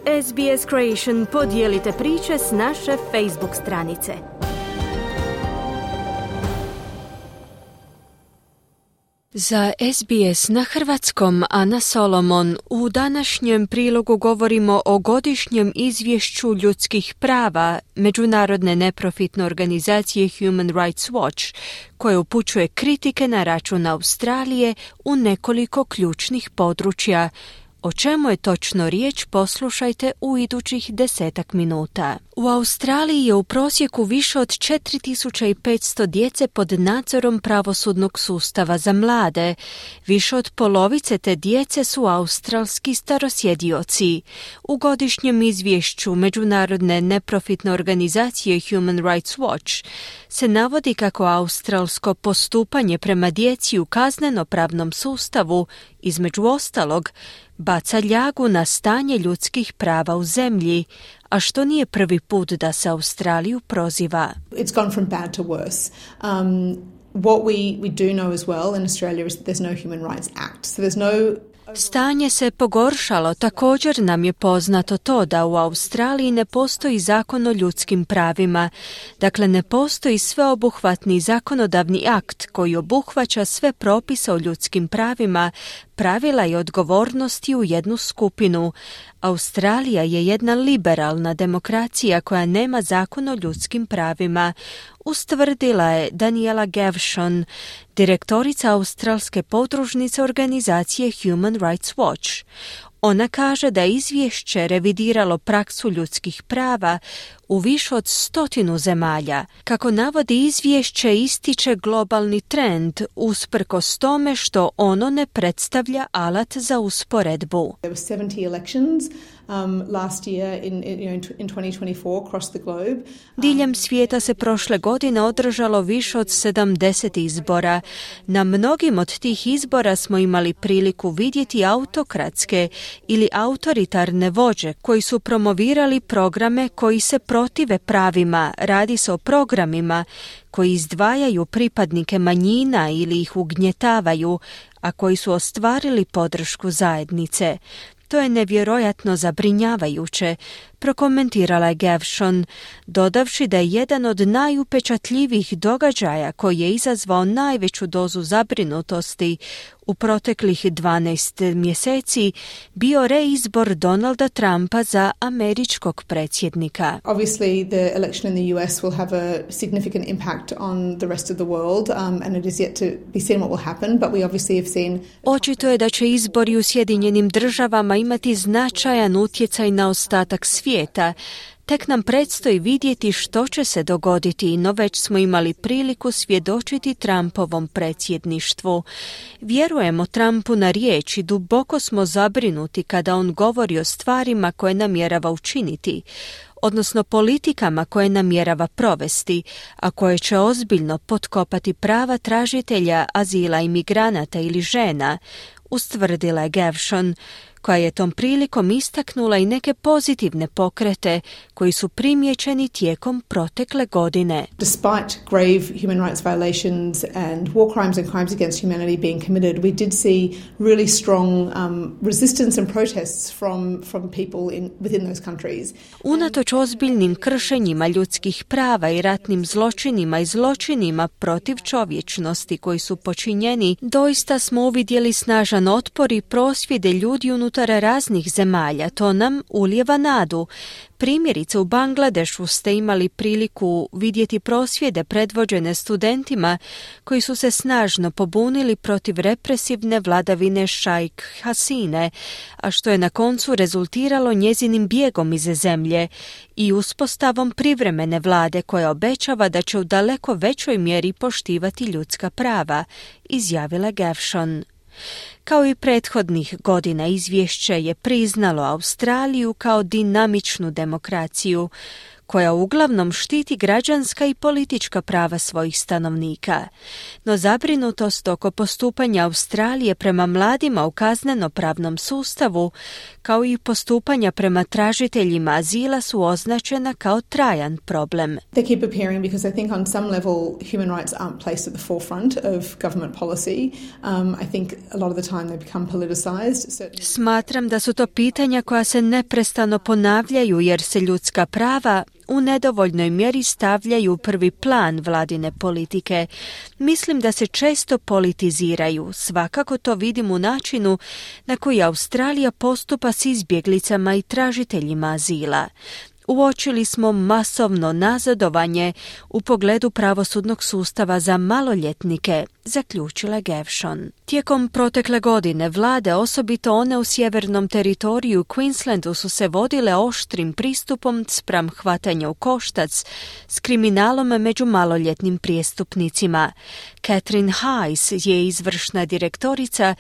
SBS Creation podijelite priče s naše Facebook stranice. Za SBS na hrvatskom Ana Solomon u današnjem prilogu govorimo o godišnjem izvješću ljudskih prava međunarodne neprofitne organizacije Human Rights Watch, koje upućuje kritike na račun Australije u nekoliko ključnih područja. O čemu je točno riječ, poslušajte u idućih 10 minuta. U Australiji je u prosjeku više od 4500 djece pod nadzorom pravosudnog sustava za mlade. Više od polovice te djece su australski starosjedioci. U godišnjem izvješću međunarodne neprofitne organizacije Human Rights Watch se navodi kako australsko postupanje prema djeci u kazneno-pravnom sustavu, između ostalog, baca ljagu na stanje ljudskih prava u zemlji, a što nije prvi put da se Australiju proziva. It's gone from bad to worse. What we do know as well in Australia is that there's no Human Rights Act. So there's no Stanje se pogoršalo. Također nam je poznato to da u Australiji ne postoji zakon o ljudskim pravima. Dakle, ne postoji sveobuhvatni zakonodavni akt koji obuhvaća sve propise o ljudskim pravima, pravila i odgovornosti u jednu skupinu. Australija je jedna liberalna demokracija koja nema zakon o ljudskim pravima, ustvrdila je Daniela Gavshon, direktorica australske podružnice organizacije Human Rights Watch. Ona kaže da je izvješće revidiralo praksu ljudskih prava u više od 100 zemalja. Kako navodi izvješće, ističe globalni trend usprkos tome što ono ne predstavlja alat za usporedbu. There were 70 elections last year in 2024 across the globe. Diljem svijeta se prošle godine održalo više od 70 izbora. Na mnogim od tih izbora smo imali priliku vidjeti autokratske ili autoritarne vođe koji su promovirali programe koji se protive pravima. Radi se o programima koji izdvajaju pripadnike manjina ili ih ugnjetavaju, a koji su ostvarili podršku zajednice. To je nevjerojatno zabrinjavajuće, prokomentirala je Gavshon, dodavši da je jedan od najupečatljivijih događaja koji je izazvao najveću dozu zabrinutosti u proteklih 12 mjeseci bio reizbor Donalda Trumpa za američkog predsjednika. Obviously, the election in the US will have a significant impact on the rest of the world, and it is yet to be seen what will happen, but we obviously have seen... Očito je da će izbori u Sjedinjenim državama imati značajan utjecaj na ostatak svijeta. Tek nam predstoji vidjeti što će se dogoditi, no već smo imali priliku svjedočiti Trumpovom predsjedništvu. Vjerujemo Trumpu na riječ i duboko smo zabrinuti kada on govori o stvarima koje namjerava učiniti, odnosno politikama koje namjerava provesti, a koje će ozbiljno potkopati prava tražitelja azila, imigranata ili žena, ustvrdila je Gavshon, koja je tom prilikom istaknula i neke pozitivne pokrete koji su primijećeni tijekom protekle godine. Despite grave human rights violations and war crimes and crimes against humanity being committed, we did see really strong resistance and protests from people within those countries. Unatoč ozbiljnim kršenjima ljudskih prava i ratnim zločinima i zločinima protiv čovječnosti koji su počinjeni, doista smo uvidjeli snažan otpor i prosvjede ljudi unutar raznih zemalja. To nam ulijeva nadu. Primjerice, u Bangladešu ste imali priliku vidjeti prosvjede predvođene studentima koji su se snažno pobunili protiv represivne vladavine Šajk Hasine, a što je na koncu rezultiralo njezinim bijegom iz zemlje i uspostavom privremene vlade koja obećava da će u daleko većoj mjeri poštivati ljudska prava, izjavila Gavshon. Kao i prethodnih godina, izvješće je priznalo Australiju kao dinamičnu demokraciju koja uglavnom štiti građanska i politička prava svojih stanovnika. No zabrinutost oko postupanja Australije prema mladima u kazneno-pravnom sustavu, kao i postupanja prema tražiteljima azila su označena kao trajan problem. They keep appearing because I think on some level human rights aren't placed at the forefront of government policy. I think a lot of the time they become politicized. Smatram da su to pitanja koja se neprestano ponavljaju jer se ljudska prava u nedovoljnoj mjeri stavljaju u prvi plan vladine politike. Mislim da se često politiziraju. Svakako to vidim u načinu na koji Australija postupa s izbjeglicama i tražiteljima azila. Uočili smo masovno nazadovanje u pogledu pravosudnog sustava za maloljetnike, zaključila Gavshon. Tijekom protekle godine vlade, osobito one u sjevernom teritoriju Queenslandu, su se vodile oštrim pristupom spram hvatanja u koštac s kriminalom među maloljetnim prijestupnicima. Catherine Hayes je izvršna direktorica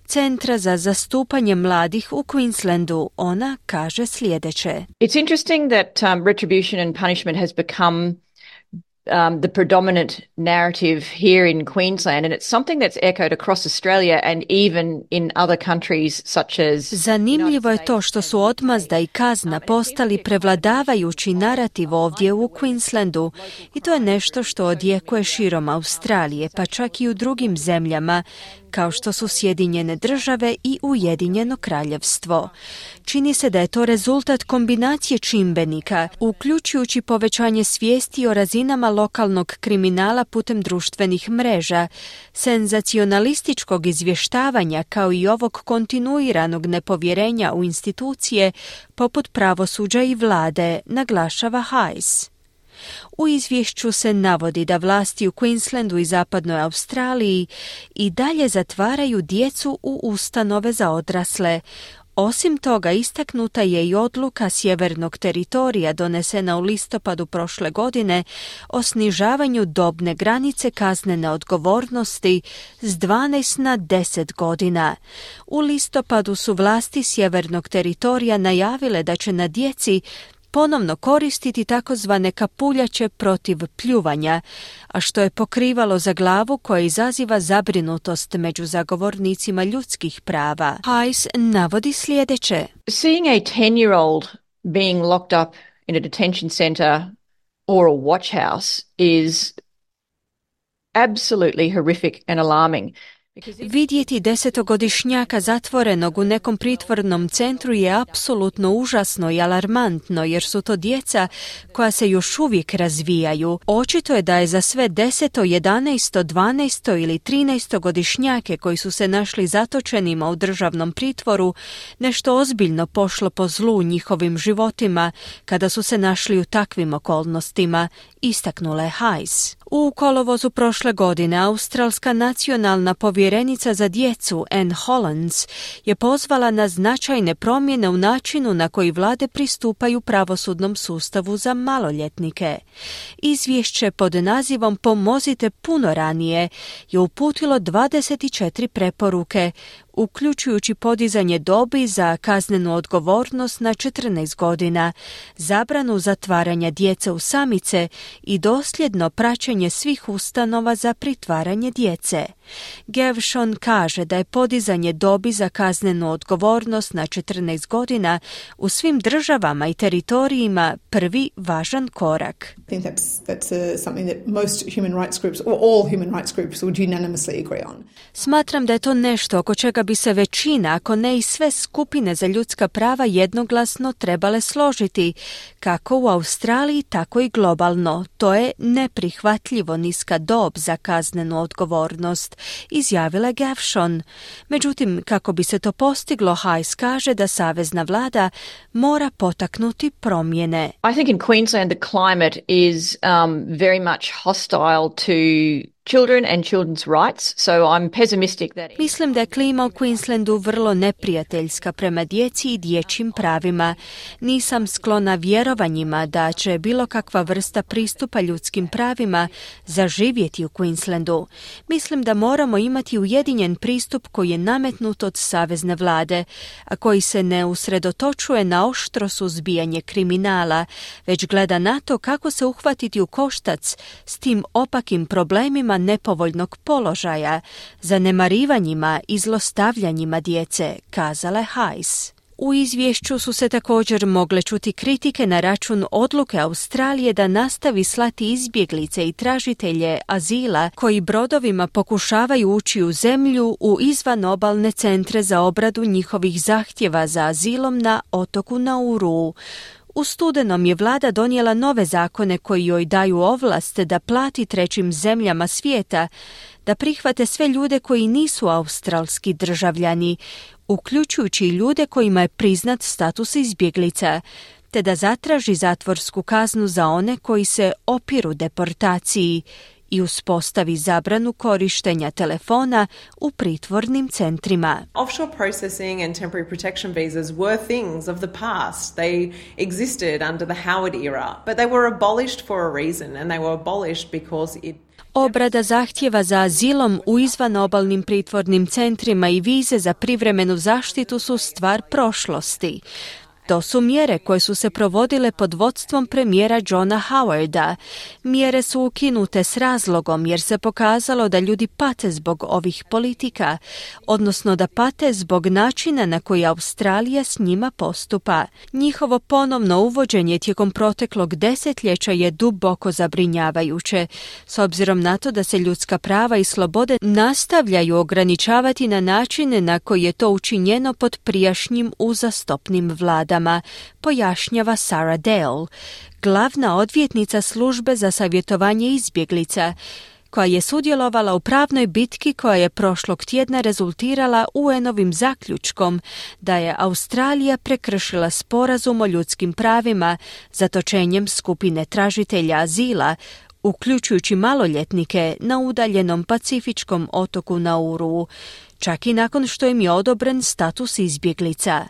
Centra za zastupanje mladih u Queenslandu. Ona kaže sljedeće. It's interesting that retribution and punishment has become the predominant narrative here in Queensland, and it's something that's echoed across Australia and even in other countries such as... Zanimljivo je to što su odmazda i kazna postali prevladavajući narativ ovdje u Queenslandu i to je nešto što odjekuje širom Australije, pa čak i u drugim zemljama kao što su Sjedinjene države i Ujedinjeno kraljevstvo. Čini se da je to rezultat kombinacije čimbenika, uključujući povećanje svijesti o razinama lokalnog kriminala putem društvenih mreža, senzacionalističkog izvještavanja kao i ovog kontinuiranog nepovjerenja u institucije poput pravosuđa i vlade, naglašava Hayes. U izvješću se navodi da vlasti u Queenslandu i zapadnoj Australiji i dalje zatvaraju djecu u ustanove za odrasle. Osim toga, istaknuta je i odluka sjevernog teritorija donesena u listopadu prošle godine o snižavanju dobne granice kaznene odgovornosti s 12 na 10 godina. U listopadu su vlasti sjevernog teritorija najavile da će na djeci ponovno koristiti takozvane kapuljače protiv pljuvanja, a što je pokrivalo za glavu koja izaziva zabrinutost među zagovornicima ljudskih prava. Hayes navodi sljedeće. Seeing a 10-year-old being locked up in a detention center or a watch house is absolutely horrific and alarming. Vidjeti 10-godišnjaka zatvorenog u nekom pritvornom centru je apsolutno užasno i alarmantno jer su to djeca koja se još uvijek razvijaju. Očito je da je za sve 10, 11, 12 ili 13-godišnjake koji su se našli zatočenima u državnom pritvoru nešto ozbiljno pošlo po zlu u njihovim životima kada su se našli u takvim okolnostima, istaknula je Hayes. U kolovozu prošle godine australska nacionalna povjerenica za djecu Anne Hollands je pozvala na značajne promjene u načinu na koji vlade pristupaju pravosudnom sustavu za maloljetnike. Izvješće pod nazivom Pomozite puno ranije je uputilo 24 preporuke, uključujući podizanje dobi za kaznenu odgovornost na 14 godina, zabranu zatvaranja djece u samice i dosljedno praćenje svih ustanova za pritvaranje djece. Gavshon kaže da je podizanje dobi za kaznenu odgovornost na 14 godina u svim državama i teritorijima prvi važan korak. I think that's something that most human rights groups or all human rights groups would unanimously agree on. Smatram da je to nešto oko čega bi se većina, ako ne i sve skupine za ljudska prava jednoglasno trebale složiti, kako u Australiji, tako i globalno. To je neprihvatljivo niska dob za kaznenu odgovornost, izjavila Gavshon. Međutim, kako bi se to postiglo, Hayes kaže da savezna vlada mora potaknuti promjene. I think in Queensland the climate is very much hostile to children and children's rights, so I'm pessimistic that... Mislim da je klima u Queenslandu vrlo neprijateljska prema djeci i dječjim pravima. Nisam sklona vjerovanjima da će bilo kakva vrsta pristupa ljudskim pravima zaživjeti u Queenslandu. Mislim da moramo imati ujedinjen pristup koji je nametnut od savezne vlade, a koji se ne usredotočuje na oštro suzbijanje kriminala, već gleda na to kako se uhvatiti u koštac s tim opakim problemima nepovoljnog položaja, zanemarivanjima i zlostavljanjima djece, kazala je Hayes. U izvješću su se također mogle čuti kritike na račun odluke Australije da nastavi slati izbjeglice i tražitelje azila koji brodovima pokušavaju ući u zemlju u izvanobalne centre za obradu njihovih zahtjeva za azilom na otoku Nauru. U studenom je vlada donijela nove zakone koji joj daju ovlast da plati trećim zemljama svijeta da prihvate sve ljude koji nisu australski državljani, uključujući i ljude kojima je priznat status izbjeglica, te da zatraži zatvorsku kaznu za one koji se opiru deportaciji i uspostavi zabranu korištenja telefona u pritvornim centrima. Offshore processing and temporary protection visas were things of the past. They existed under the Howard era, but they were abolished for a reason, and they were abolished because it... Obrada zahtjeva za azilom u izvanobalnim pritvornim centrima i vize za privremenu zaštitu su stvar prošlosti. To su mjere koje su se provodile pod vodstvom premijera Johna Howarda. Mjere su ukinute s razlogom jer se pokazalo da ljudi pate zbog ovih politika, odnosno da pate zbog načina na koji Australija s njima postupa. Njihovo ponovno uvođenje tijekom proteklog desetljeća je duboko zabrinjavajuće, s obzirom na to da se ljudska prava i slobode nastavljaju ograničavati na načine na koji je to učinjeno pod prijašnjim uzastopnim vladama, pojašnjava Sarah Dale, glavna odvjetnica službe za savjetovanje izbjeglica, koja je sudjelovala u pravnoj bitki koja je prošlog tjedna rezultirala UN-ovim zaključkom da je Australija prekršila sporazum o ljudskim pravima zatočenjem skupine tražitelja azila, uključujući maloljetnike na udaljenom pacifičkom otoku Nauru, čak i nakon što im je odobren status izbjeglica.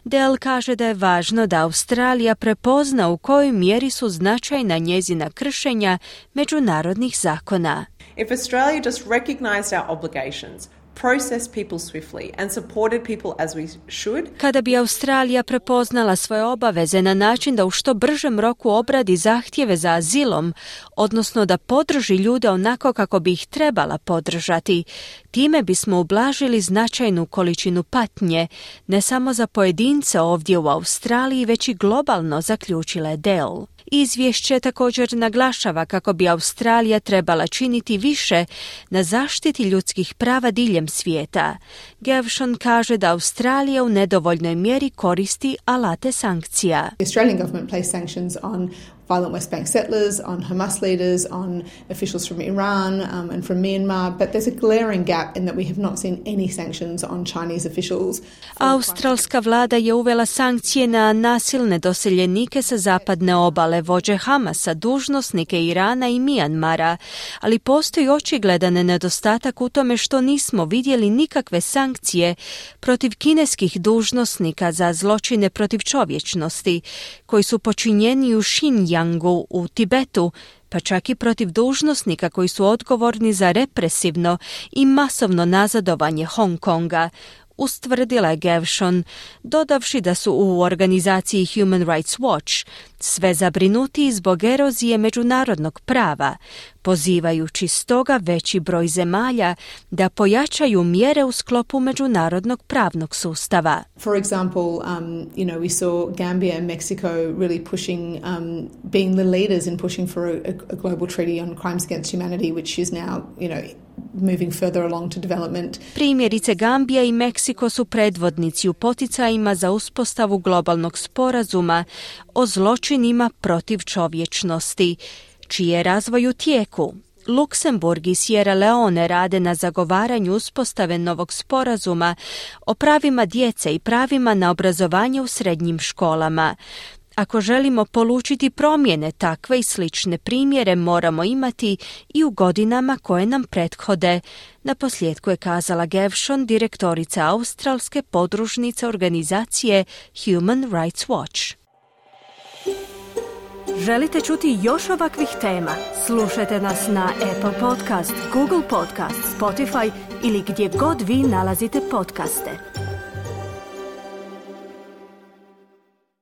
Dale kaže da je važno da Australija prepozna u kojoj mjeri su značajna njezina kršenja međunarodnih zakona. If Australia just recognized our obligations, processed people swiftly and supported people as we should. Kada bi Australija prepoznala svoje obaveze na način da u što bržem roku obradi zahtjeve za azilom, odnosno da podrži ljude onako kako bi ih trebala podržati, time bismo ublažili značajnu količinu patnje, ne samo za pojedince ovdje u Australiji, već i globalno, zaključila je Dale. Izvješće također naglašava kako bi Australija trebala činiti više na zaštiti ljudskih prava diljem svijeta. Gavshon kaže da Australija u nedovoljnoj mjeri koristi alate sankcija. The Australian government placed sanctions on violent West Bank settlers, on Hamas leaders, on officials from Iran and from Myanmar, but there's a glaring gap in that we have not seen any sanctions on Chinese officials. Australska vlada je uvela sankcije na nasilne doseljenike sa zapadne obale, vođe Hamasa, dužnosnike Irana i Myanmara, ali postoji očigledan nedostatak u tome što nismo vidjeli nikakve sankcije protiv kineskih dužnosnika za zločine protiv čovječnosti, koji su počinjeni u Xinjiangu u Tibetu, pa čak i protiv dužnosnika koji su odgovorni za represivno i masovno nazadovanje Hong Konga, ustvrdila je Gavshon, dodavši da su u organizaciji Human Rights Watch sve zabrinuti zbog erozije međunarodnog prava, pozivajući stoga veći broj zemalja da pojačaju mjere u sklopu međunarodnog pravnog sustava. For example, we saw Gambia and Mexico really pushing, being the leaders in pushing for a global treaty on crimes against humanity, which is now, moving further along to development. Primjerice, Gambija i Meksiko su predvodnici u poticajima za uspostavu globalnog sporazuma o zločinima protiv čovječnosti, čiji je razvoj u tijeku. Luksemburg i Sierra Leone rade na zagovaranju uspostave novog sporazuma o pravima djece i pravima na obrazovanje u srednjim školama, Ako želimo polučiti promjene, takve i slične primjere moramo imati i u godinama koje nam prethode. Naposljetku je kazala Gevshon, direktorica australske podružnice organizacije Human Rights Watch. Želite čuti još ovakvih tema? Slušajte nas na Apple Podcast, Google Podcast, Spotify ili gdje god vi nalazite podcaste.